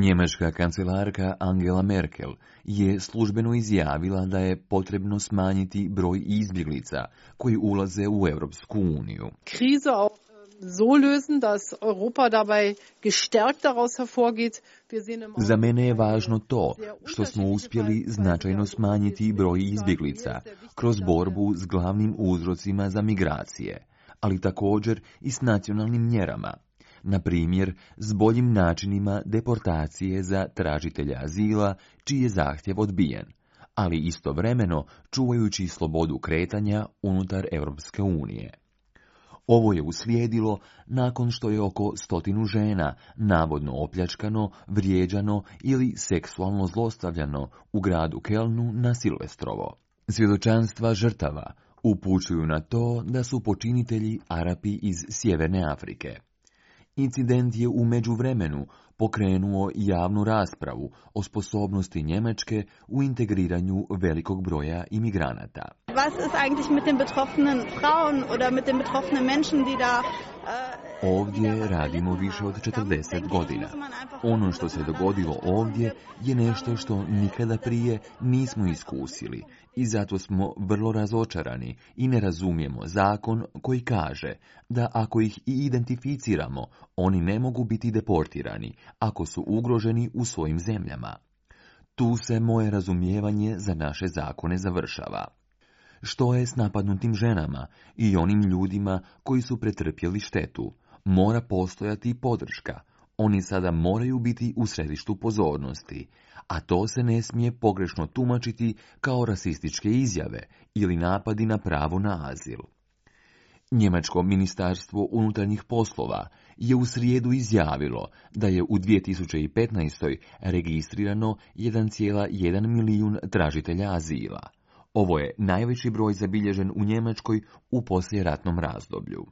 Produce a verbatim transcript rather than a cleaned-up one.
Njemačka kancelarka Angela Merkel je službeno izjavila da je potrebno smanjiti broj izbjeglica koji ulaze u Europsku uniju. Krise auch so lösen, dass Europa dabei gestärkt daraus hervorgeht. Za mene je važno to što smo uspjeli značajno smanjiti broj izbjeglica kroz borbu s glavnim uzrocima za migracije, ali također i s nacionalnim mjerama. Na primjer, s boljim načinima deportacije za tražitelja azila, čiji je zahtjev odbijen, ali istovremeno čuvajući slobodu kretanja unutar Europske unije. Ovo je uslijedilo nakon što je oko stotinu žena navodno opljačkano, vrijeđano ili seksualno zlostavljano u gradu Kelnu na Silvestrovo. Svjedočanstva žrtava upućuju na to da su počinitelji Arapi iz Sjeverne Afrike. Incident je u međuvremenu pokrenuo javnu raspravu o sposobnosti Njemačke u integriranju velikog broja imigranata. Was ist eigentlich mit den betroffenen Frauen oder mit den betroffenen Menschen, die da Ovdje radimo više od četrdeset godina. Ono što se dogodilo ovdje je nešto što nikada prije nismo iskusili i zato smo vrlo razočarani i ne razumijemo zakon koji kaže da ako ih i identificiramo, oni ne mogu biti deportirani ako su ugroženi u svojim zemljama. Tu se moje razumijevanje za naše zakone završava. Što je s napadnutim ženama i onim ljudima koji su pretrpjeli štetu? Mora postojati podrška. Oni sada moraju biti u središtu pozornosti, a to se ne smije pogrešno tumačiti kao rasističke izjave ili napadi na pravo na azil. Njemačko ministarstvo unutarnjih poslova je u srijedu izjavilo da je u dvije tisuće petnaestoj. registrirano jedan zarez jedan milijun tražitelja azila. Ovo je najveći broj zabilježen u Njemačkoj u poslijeratnom razdoblju.